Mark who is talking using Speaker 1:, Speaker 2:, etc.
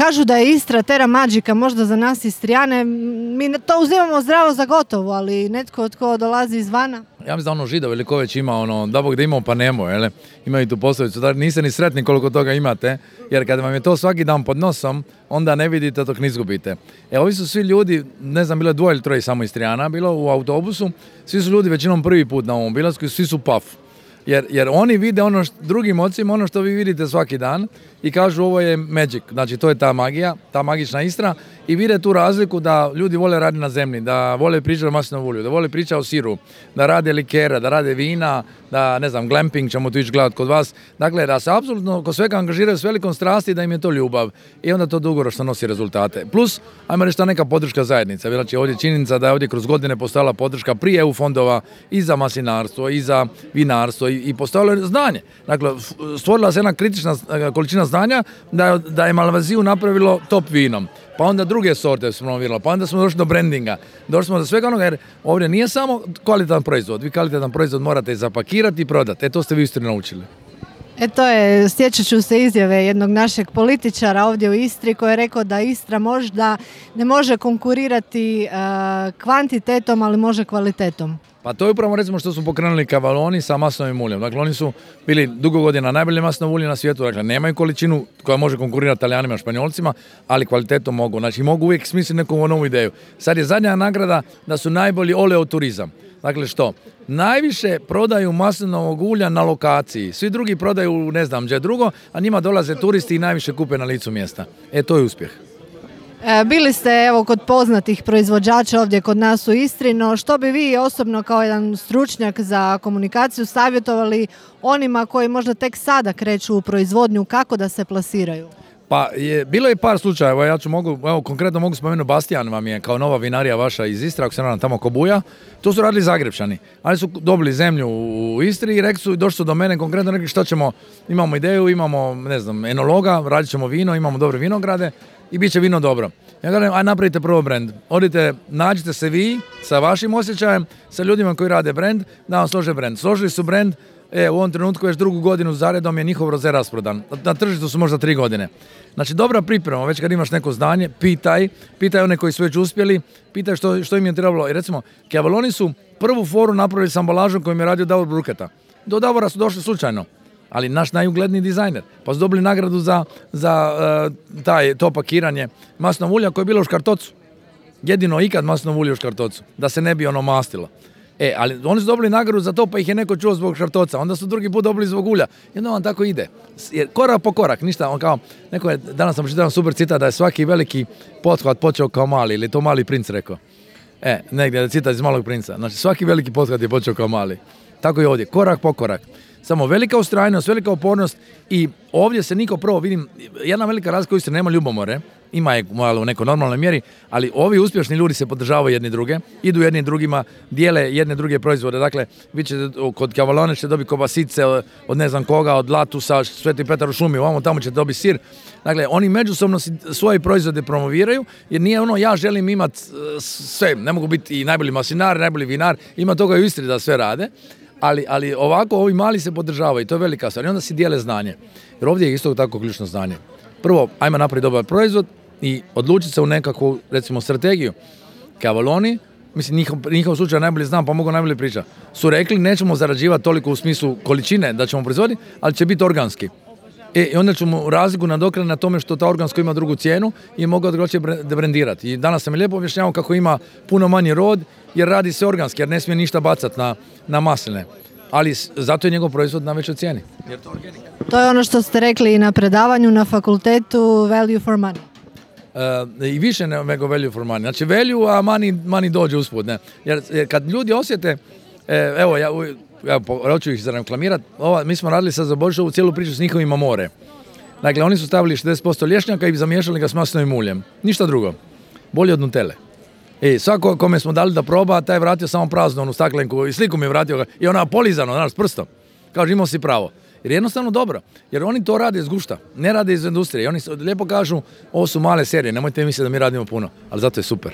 Speaker 1: kažu da je Istra terra magica, možda za nas Istrijane, mi to uzimamo zdravo za gotovo, ali netko tko dolazi izvana.
Speaker 2: Ja mislim da Židov ili ko već ima da Bog da imamo pa nemo, imaju tu poslovicu, da niste ni sretni koliko toga imate, jer kada vam je to svaki dan pod nosom, onda ne vidite dok ne izgubite. Ovi su svi ljudi, ne znam, bilo je 2 ili 3 samo Istrijana, bilo u autobusu, svi su ljudi većinom prvi put na ovom obilasku i svi su paf. Jer oni vide drugim ocima ono što vi vidite svaki dan i kažu ovo je magic, znači to je ta magija, ta magična Istra i vide tu razliku da ljudi vole raditi na zemlji, da vole pričati o maslinovom ulju, da vole pričati o siru, da rade likera, da rade vina, da ne znam, glamping ćemo tu ići gledati kod vas, dakle da se apsolutno kod svega angažiraju s velikom strasti da im je to ljubav i onda to dugoročno nosi rezultate. Plus, ajmo reći ta neka podrška zajednica, znači ovdje činjenica da je ovdje kroz godine postojala podrška prije EU fondova i za maslinarstvo i za vinarstvo i postojalo je znanje. Dakle, stvorila se jedna kritična količina znanja da je Malvaziju napravilo top vinom. Pa onda druge sorte smo promovirali, pa onda smo došli do brandinga. Došli smo do svega onoga jer ovdje nije samo kvalitetan proizvod. Vi kvalitetan proizvod morate zapakirati i prodati. To ste vi isto naučili.
Speaker 1: Sjećat ću se izjave jednog našeg političara ovdje u Istri koji je rekao da Istra možda ne može konkurirati kvantitetom, ali može kvalitetom.
Speaker 2: Pa to je upravo recimo što su pokrenuli Cavalloni sa maslinovim uljem. Dakle, oni su bili dugo godina najbolje maslinovo ulje na svijetu. Dakle, nemaju količinu koja može konkurirati Talijanima i Španjolcima, ali kvalitetom mogu. Znači, mogu uvijek smisliti neku novu ideju. Sad je zadnja nagrada da su najbolji oleoturizam. Dakle, što? Najviše prodaju maslinovog ulja na lokaciji. Svi drugi prodaju ne znam gdje drugo, a njima dolaze turisti i najviše kupe na licu mjesta. To je uspjeh.
Speaker 1: Bili ste kod poznatih proizvođača ovdje kod nas u Istri, no što bi vi osobno kao jedan stručnjak za komunikaciju savjetovali onima koji možda tek sada kreću u proizvodnju, kako da se plasiraju?
Speaker 2: Pa bilo je par slučajeva, konkretno mogu spomenuti Bastijan vam je kao nova vinarija vaša iz Istre, ako se nadam tamo Kobuja, to su radili Zagrepčani, ali su dobili zemlju u Istri i došli su do mene konkretno rekli šta ćemo, imamo ideju, imamo ne znam, enologa, radit ćemo vino, imamo dobre vinograde i bit će vino dobro. Ja kažem, aj napravite prvo brand, odite, nađite se vi sa vašim osjećajem, sa ljudima koji rade brand, da vam slože brand. Složili su brand, u ovom trenutku već 2. godinu zaredom je njihov roze rasprodan. Na tržištu su možda 3 godine. Znači, dobra priprema, već kad imaš neko znanje, pitaj one koji su već uspjeli, pitaj što im je trebalo. I recimo, Cavalloni su prvu foru napravili s ambalažom kojim je radio Davor Bruketa. Do Davora su došli slučajno, ali naš najugledniji dizajner. Pa su dobili nagradu za to pakiranje maslinovog ulja koje je bilo u škartocu. Jedino ikad maslinovo ulje u škartocu, da se ne bi mastilo. Ali oni su dobili nagradu za to, pa ih je neko čuo zbog škartoca. Onda su drugi put dobili zbog ulja. I onda vam tako ide. Jer korak po korak, ništa. Danas sam čitao super citat da je svaki veliki pothvat počeo kao mali, ili to Mali princ rekao. Negdje je citat iz Malog princa. Znači, svaki veliki pothvat je počeo kao mali. Tako i ovdje, korak po korak. Samo velika ustrajnost, velika upornost i ovdje se niko prvo, vidim, jedna velika razlika u Istri, nema ljubomore, ima je u nekoj normalnoj mjeri, ali ovi uspješni ljudi se podržavaju jedni druge, idu jedni drugima, dijele jedne druge proizvode. Dakle, vi ćete kod Cavallone ćete dobiti kobasice od ne znam koga, od Latusa, Sveti Petar u šumi, ovamo tamo ćete dobiti sir. Dakle, oni međusobno svoje proizvode promoviraju, jer nije ja želim imati sve, ne mogu biti i najbolji maslinar, najbolji vinar, ima toga i u Istri da sve rade. Ali ovako ovi mali se podržavaju i to je velika stvar. I onda si dijele znanje. Jer ovdje je isto tako ključno znanje. Prvo, ajmo napraviti dobar proizvod i odlučiti se u nekakvu, recimo, strategiju. Cavalloni, mislim, njihov slučaj najbolje znam, pa mogu najbolje pričati, su rekli nećemo zarađivati toliko u smislu količine da ćemo proizvoditi, ali će biti organski. I onda ćemo razliku nadoknaditi na tome što ta organsko ima drugu cijenu i mogu drugačije brendirati. I danas sam mi lijepo objašnjavao kako ima puno manji rod jer radi se organski, jer ne smije ništa bacati na masline. Ali zato je njegov proizvod na većoj cijeni. Jer to je organik.
Speaker 1: To je ono što ste rekli na predavanju na fakultetu value for money.
Speaker 2: I više nego value for money. Znači value, a money dođe usput. Ne? Jer kad ljudi osjete, hoću ih zareklamirati, mi smo radili sad za Božić ovu cijelu priču s njihovim Amore. Dakle, oni su stavili 60% lješnjaka i zamiješali ga s maslinovim uljem. Ništa drugo. Bolje od Nutelle. Svako kome smo dali da proba, taj je vratio samo praznu onu staklenku i sliku mi je vratio i ona polizano, s prstom. Kaže, imao si pravo. Jer je jednostavno dobro. Jer oni to rade iz gušta, ne rade iz industrije. I oni lijepo kažu, ovo su male serije, nemojte misliti da mi radimo puno, ali zato je super.